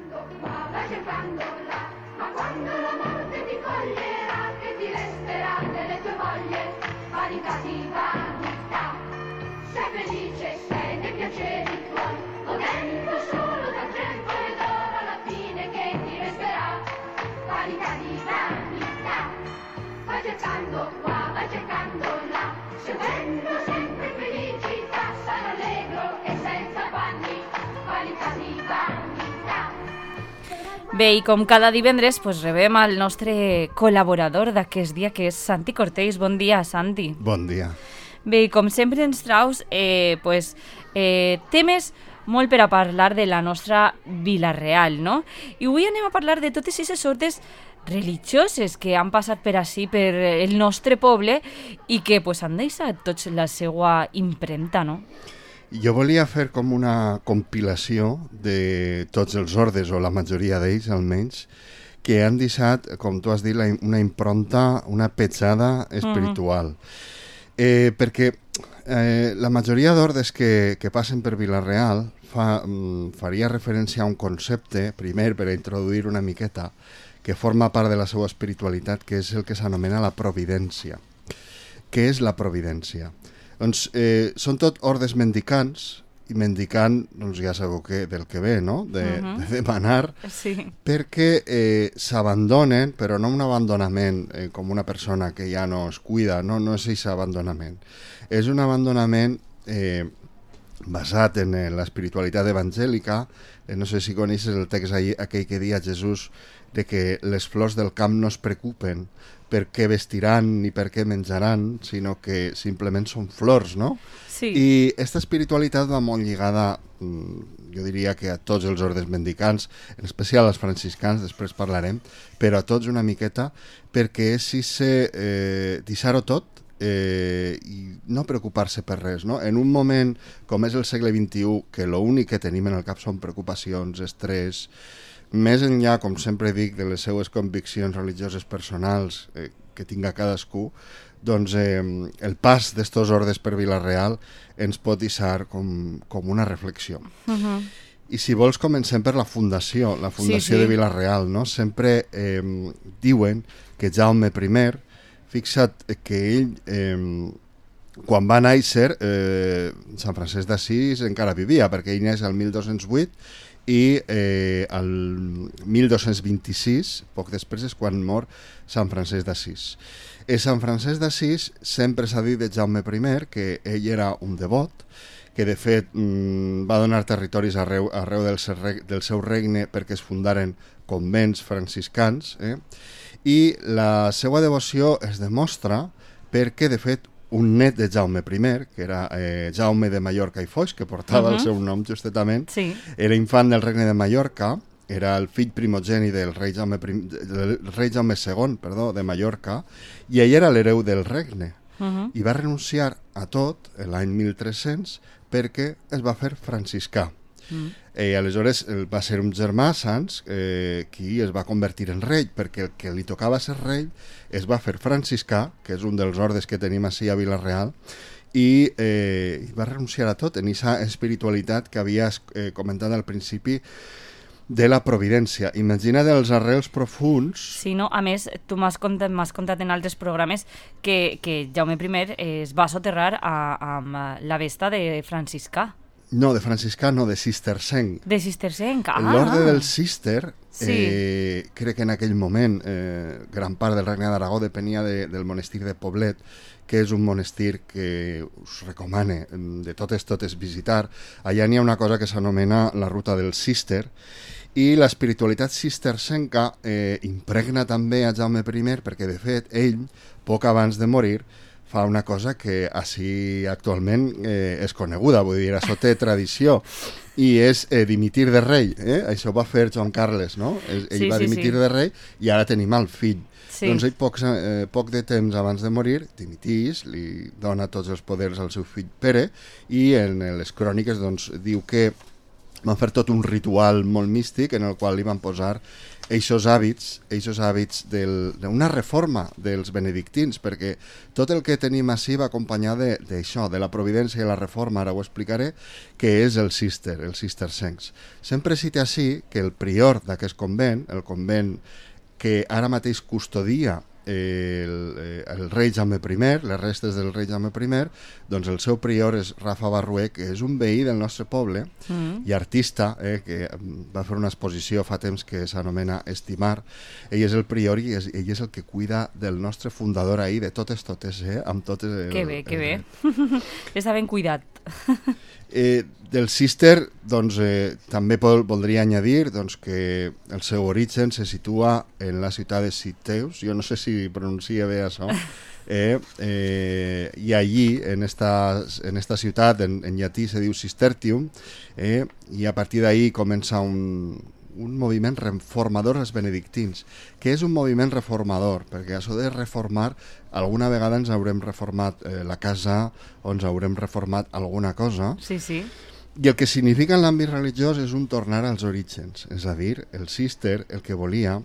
cercando qua, vai cercando là, ma quando la morte ti coglierà, che ti resterà delle tue voglie, vanità di vanità. Sei felice, sei nei piaceri tuoi, godendo solo dal tempo e d'oro alla fine che ti resterà, vanità di vanità. Vai cercando qua, vai cercando là, seguendo sempre felicità, sano allegro e senza affanni, vanità di vanità. Bé, i com cada divendres rebem el nostre col·laborador d'aquest dia, que és Santi Cortells. Bon dia, Santi. Bon dia. Bé, i com sempre ens traus temes molt per a parlar de la nostra Vila-real, no? I avui anem a parlar de totes aquestes sortes religioses que han passat per ací, per el nostre poble, i que han deixat tots la seva impremta, no? Jo volia fer com una compilació de tots els ordes, o la majoria d'ells almenys, que han deixat, com tu has dit, una impronta, una petjada espiritual. Perquè la majoria d'ordes que passen per Vila-real faria referència a un concepte, primer per a introduir una miqueta, que forma part de la seva espiritualitat, que és el que s'anomena la providència. Què és la providència? Doncs són tot ordes mendicants, i mendicant, doncs ja sabeu del que ve, no? De demanar, sí. Perquè s'abandonen, però no un abandonament com una persona que ja no es cuida, no és aquest abandonament. És un abandonament basat en l'espiritualitat evangèlica. No sé si coneixes el text aquell que dia Jesús de que les flors del camp no es preocupen per què vestiran ni per què menjaran, sinó que simplement són flors, no? Sí. I aquesta espiritualitat va molt lligada, jo diria que a tots els ordes mendicants, en especial als franciscans, després parlarem, però a tots una miqueta, perquè és deixar-ho tot i no preocupar-se per res, no? En un moment com és el segle XXI, que l'únic que tenim en el cap són preocupacions, estrès, més enllà, com sempre dic, de les seues conviccions religioses personals que tinga cadascú, doncs el pas d'estos ordes per Vila-real ens pot deixar com una reflexió. I si vols comencem per la fundació sí. de Vila-real, no? Sempre diuen que Jaume I, fixa't que ell, quan va néixer, Sant Francesc d'Assís encara vivia, perquè ell neix el 1208, i el 1226, poc després, és quan mor Sant Francesc d'Assís. Sant Francesc d'Assís sempre s'ha dit de Jaume I que ell era un devot, que de fet va donar territoris arreu del seu regne perquè es fundaren convents franciscans, i la seva devoció es demostra perquè, de fet, un net de Jaume I, que era Jaume de Mallorca i Foix, que portava el seu nom justament, sí. Era infant del regne de Mallorca, era el fill primogeni del rei Jaume II, de Mallorca, i ell era l'hereu del regne. I va renunciar a tot l'any 1300 perquè es va fer franciscà. Aleshores va ser un germà, Sans, qui es va convertir en rei, perquè el que li tocava ser rei es va fer franciscà, que és un dels ordes que tenim així a Vila-real, i va renunciar a tot en aquesta espiritualitat que havies comentat al principi de la providència. Imagina't els arrels profunds. Sí, no? A més, tu m'has contat en altres programes que Jaume I es va soterrar amb la vesta de franciscà. No, de franciscà no, de cistercenc. De cistercenc, L'orde del cister, sí. crec que en aquell moment gran part del Regne d'Aragó depenia del monestir de Poblet, que és un monestir que us recomane de totes visitar. Allà n'hi ha una cosa que s'anomena la ruta del cister, i l'espiritualitat cistercenca impregna també a Jaume I, perquè de fet ell, poc abans de morir, fa una cosa que així actualment és coneguda, vull dir, això té tradició, i és dimitir de rei. Això va fer Joan Carles, no? Ell va dimitir de rei i ara tenim el fill. Sí. Doncs ell poc de temps abans de morir dimitís, li dona tots els poders al seu fill Pere, i en les cròniques doncs, diu que van fer tot un ritual molt místic en el qual li van posar eixos hàbits d'una reforma dels benedictins, perquè tot el que tenim així va acompanyar d'això, de la providència i la reforma, ara ho explicaré, que és el cistercencs. Sempre cita així que el prior d'aquest convent, el convent que ara mateix custodia el rei Jaume I, les restes del rei Jaume I, doncs el seu prior és Rafa Barrué, que és un veí del nostre poble i artista, que va fer una exposició fa temps que s'anomena Estimar. Ell és el prior i ell és el que cuida del nostre fundador ahir, de totes, amb totes... Que bé. Està ben cuidat. Del cister, doncs, també voldria añadir que el seu origen se situa en la ciutat de Citeus, jo no sé si pronuncia bé això, i allí, en esta ciutat, en llatí se diu Cistertium, i a partir d'ahí comença un moviment reformador als benedictins. Què és un moviment reformador? Perquè això de reformar, alguna vegada ens haurem reformat la casa o ens haurem reformat alguna cosa. Sí. I el que significa en l'àmbit religiós és un tornar als orígens. És a dir, el cister el que volia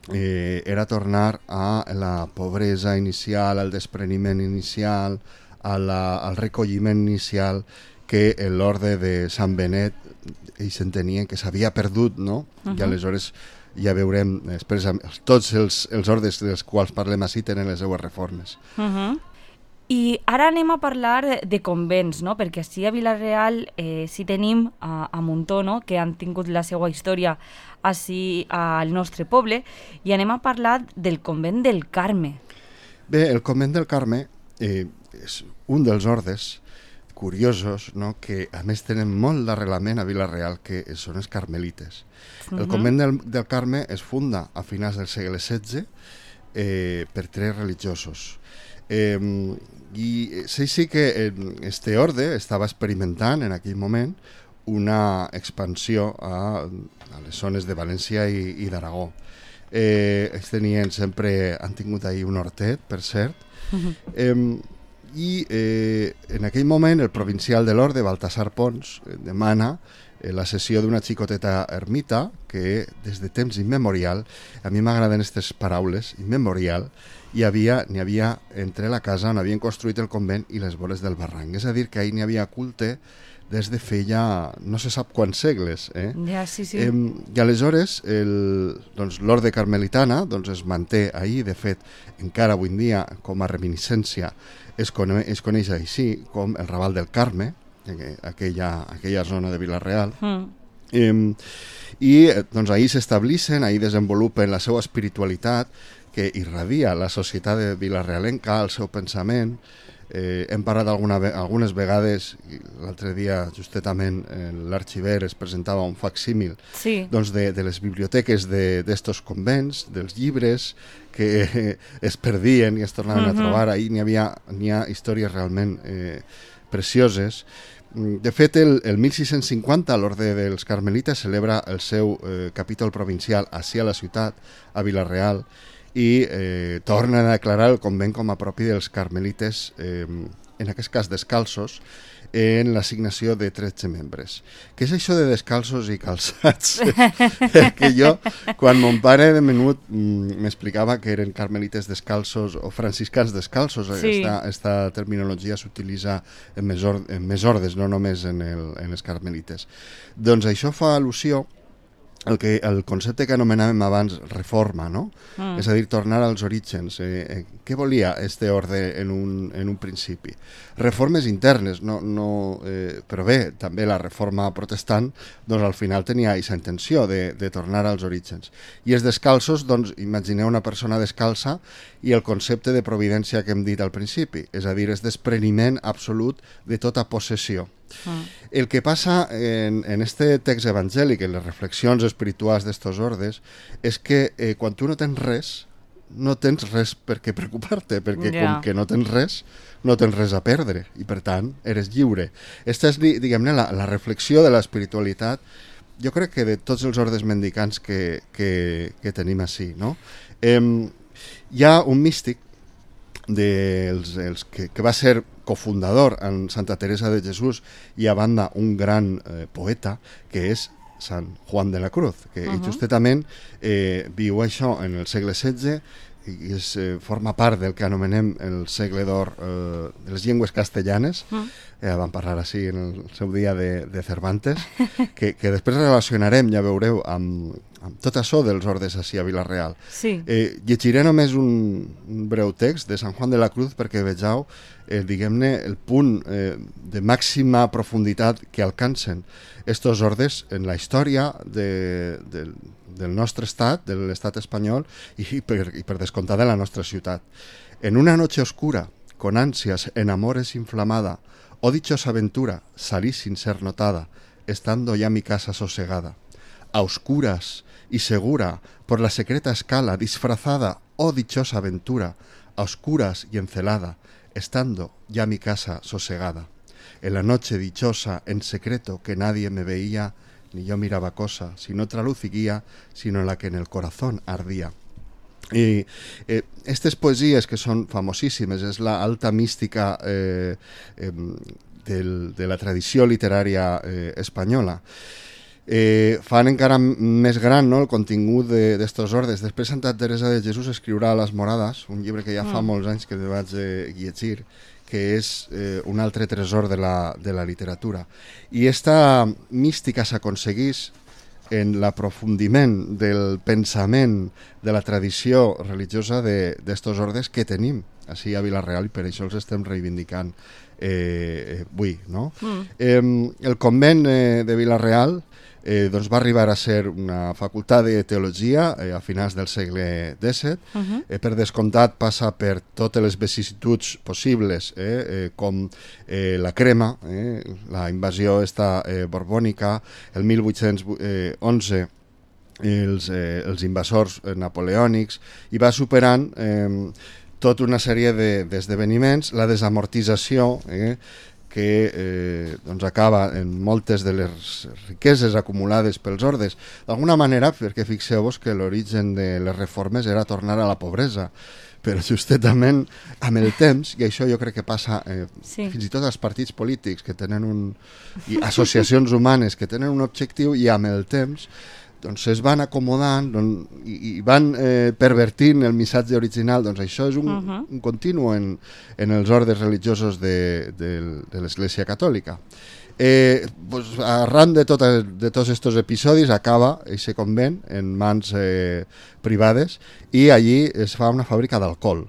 era tornar a la pobresa inicial, al despreniment inicial, al recolliment inicial que l'orde de Sant Benet ells entenien que s'havia perdut, no? I aleshores ja veurem després tots els ordes dels quals parlem així tenen les seues reformes. I ara anem a parlar de convents, no? Perquè així a Vila-real sí tenim a Muntó, no? Que han tingut la seva història així al nostre poble, i anem a parlar del convent del Carme. Bé, el convent del Carme és un dels ordes curiosos, no? Que a més tenen molt d'arrelament a Vila-real, que són els carmelites. El convent del Carme es funda a finals del segle XVI per 3 religiosos. I sí que este orde estava experimentant en aquell moment una expansió a les zones de València i d'Aragó. Ells han tingut ahir un hortet, per cert, i en aquell moment el provincial de l'orde, Baltasar Pons, demana la cessió d'una xicoteta ermita que des de temps immemorial, a mi m'agraden aquestes paraules, immemorial, n'hi havia entre la casa on havien construït el convent i les vores del barranc. És a dir, que ahir n'hi havia culte des de feia no se sap quants segles. Ja, sí. I aleshores l'orde carmelitana es manté ahir, de fet, encara avui en dia com a reminiscència es coneix així com el Raval del Carme, aquella zona de Vila-real. I ahir s'estableixen, ahir desenvolupen la seva espiritualitat que irradia la societat de Vila-realenca, el seu pensament. Hem parlat algunes vegades, l'altre dia justetament l'arxiver es presentava un facsímil de les biblioteques d'estos convents, dels llibres que es perdien i es tornaven a trobar. Ahir n'hi ha històries realment precioses. De fet, el 1650 l'Orde dels Carmelites celebra el seu capítol provincial ací a la ciutat, a Vila-real, i tornen a declarar el convent com a propi dels carmelites, en aquest cas descalços, en l'assignació de 13 membres. Què és això de descalços i calçats? Que jo, quan mon pare de menut m'explicava que eren carmelites descalços o franciscans descalços, aquesta terminologia s'utilitza en més ordes, no només en els carmelites. Doncs això fa al·lusió el concepte que anomenàvem abans reforma, no? És a dir, tornar als orígens. Què volia este orde en un principi? Reformes internes, però bé, també la reforma protestant al final tenia aquesta intenció de tornar als orígens. I els descalços, imagineu una persona descalça i el concepte de providència que hem dit al principi, és a dir, és despreniment absolut de tota possessió. El que passa en este text evangèlic, en les reflexions espirituals d'estos ordes, és que quan tu no tens res per què preocupar-te, perquè com que no tens res a perdre i per tant eres lliure. Esta és, diguem-ne, la reflexió de l'espiritualitat, jo crec que de tots els ordes mendicants que tenim així, no? Hi ha un místic que va ser cofundador en Santa Teresa de Jesús i a banda un gran poeta que és Sant Juan de la Cruz, que justament viu això en el segle XVI i forma part del que anomenem el segle d'or de les llengües castellanes. Vam parlar així en el seu dia de Cervantes, que després relacionarem, ja veureu, amb tot això dels ordes així a Vila-real. Sí. Llegiré només un breu text de Sant Juan de la Cruz perquè vegeu, diguem-ne, el punt de màxima profunditat que alcancen estos ordes en la història del nostre estat, de l'estat espanyol i per descomptar de la nostra ciutat. En una noche oscura, con ansias en amores inflamada, oh dichosa aventura, salí sin ser notada, estando ya mi casa sosegada. A oscuras y segura, por la secreta escala, disfrazada, oh dichosa aventura, a oscuras y encelada, estando ya mi casa sosegada. En la noche dichosa, en secreto, que nadie me veía, ni yo miraba cosa, sin otra luz y guía, sino la que en el corazón ardía. I aquestes poesies que són famosíssimes, és la alta mística de la tradició literària espanyola. Fan encara més gran, no, el contingut d'estos ordes. Després Santa Teresa de Jesús escriurà Les Morades, un llibre que ja fa molts anys que vaig llegir, que és un altre tresor de la literatura. I esta mística s'aconsegueix en l'aprofundiment del pensament de la tradició religiosa d'estos ordes que tenim així a Vila-real i per això els estem reivindicant avui, no? El convent de Vila-real doncs va arribar a ser una facultat de teologia a finals del segle XVII. Per descomptat passa per totes les vicissituds possibles, com la crema, la invasió borbònica, el 1811 els invasors napoleònics, i va superant tota una sèrie d'esdeveniments, la desamortització, que doncs acaba en moltes de les riqueses acumulades pels ordes. D'alguna manera, perquè fixeu-vos que l'origen de les reformes era tornar a la pobresa, però justament amb el temps, i això jo crec que passa fins i tot als partits polítics que tenen i associacions humanes que tenen un objectiu, i amb el temps doncs es van acomodant i van pervertint el missatge original. Doncs això és un continu en els ordes religiosos de l'Església Catòlica. Arran de tots aquests episodis acaba aquest convent en mans privades i allí es fa una fàbrica d'alcohol.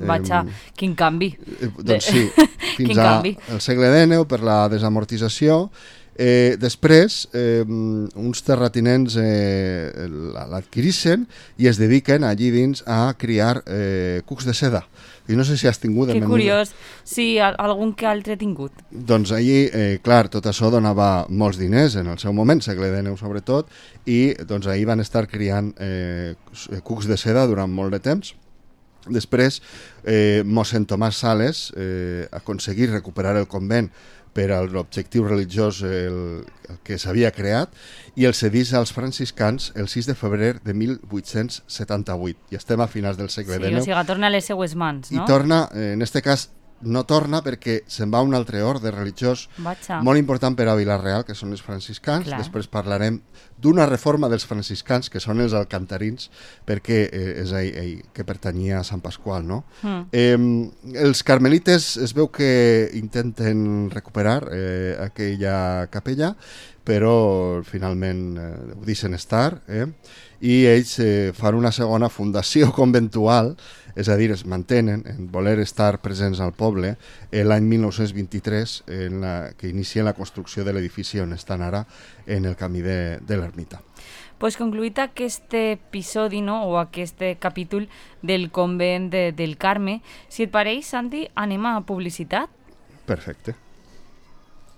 Vaja, quin canvi. Doncs sí, fins al segle XIX per la desamortització. Després uns terratinents l'adquireixen i es dediquen allí dins a criar cucs de seda. I no sé si has tingut... Que curiós, sí, algun que altre he tingut. Doncs allí, clar, tot això donava molts diners en el seu moment, segle XIX sobretot, i doncs allí van estar criant cucs de seda durant molt de temps. Després, mossèn Tomàs Sales aconseguí recuperar el convent per a l'objectiu religiós el que s'havia creat i el cedís als franciscans el 6 de febrer de 1878. I estem a finals del segle XIX. Sí, o sigui, torna a les seues mans, no? I torna, en aquest cas, no torna perquè se'n va un altre orde religiós molt important per a Vila-real, que són els franciscans. Clar. Després parlarem d'una reforma dels franciscans, que són els alcantarins, perquè és ell que pertanyia a Sant Pasqual, no? Els carmelites es veu que intenten recuperar aquella capella, però finalment ho deixen estar, i ells fan una segona fundació conventual, és a dir, es mantenen en voler estar presents al poble l'any 1923, que inicien la construcció de l'edifici on estan ara, en el camí de l'ermita. Pues concluït aquest episodi, no, o aquest capítol del convent del Carme, si et pareix, Santi, anem a publicitat? Perfecte.